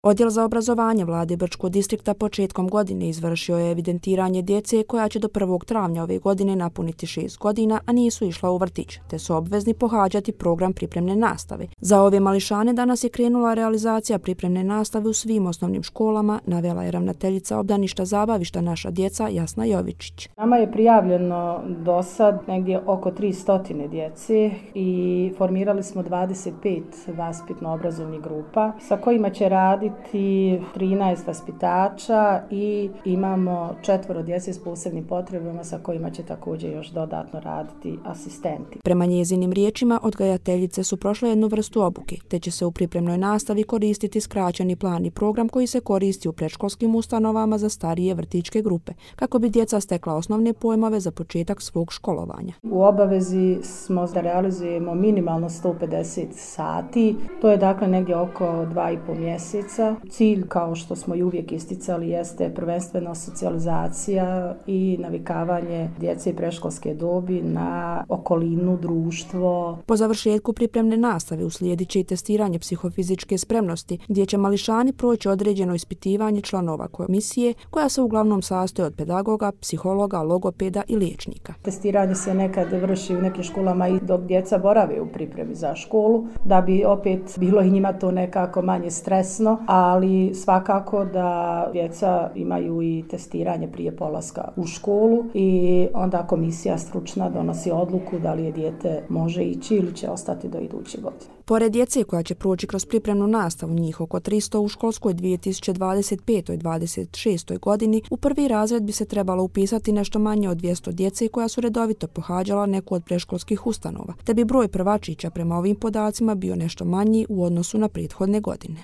Odjel za obrazovanje Vlade Brčkog distrikta početkom godine izvršio je evidentiranje djece koja će do 1. travnja ove godine napuniti 6 godina, a nisu išla u vrtić, te su obvezni pohađati program pripremne nastave. Za ove mališane danas je krenula realizacija pripremne nastave u svim osnovnim školama, navela je ravnateljica obdaništa zabavišta Naša djeca Jasna Jovičić. Nama je prijavljeno do sad negdje oko 300 djece i formirali smo 25 vaspitno-obrazovnih grupa sa kojima će raditi 13 vaspitača i imamo 4 djece s posebnim potrebama sa kojima će također još dodatno raditi asistenti. Prema njezinim riječima, odgajateljice su prošle jednu vrstu obuke, te će se u pripremnoj nastavi koristiti skraćeni plan i program koji se koristi u predškolskim ustanovama za starije vrtićke grupe, kako bi djeca stekla osnovne pojmove za početak svog školovanja. U obavezi smo da realizujemo minimalno 150 sati, to je dakle negdje oko 2,5 mjeseca. Cilj, kao što smo i uvijek isticali, jeste prvenstveno socijalizacija i navikavanje djece predškolske dobi na okolinu, društvo. Po završetku pripremne nastave uslijedit će i testiranje psihofizičke spremnosti, gdje će mališani proći određeno ispitivanje članova komisije, koja se uglavnom sastoji od pedagoga, psihologa, logopeda i liječnika. Testiranje se nekad vrši u nekim školama i dok djeca borave u pripremi za školu, da bi opet bilo i njima to nekako manje stresno, ali svakako da djeca imaju i testiranje prije polaska u školu i onda komisija stručna donosi odluku da li je dijete može ići ili će ostati do iduće godine. Pored djece koja će proći kroz pripremnu nastavu, njih oko 300 u školskoj 2025-26. godini, u prvi razred bi se trebalo upisati nešto manje od 200 djece koja su redovito pohađala neku od predškolskih ustanova, te bi broj prvačića prema ovim podacima bio nešto manji u odnosu na prethodne godine.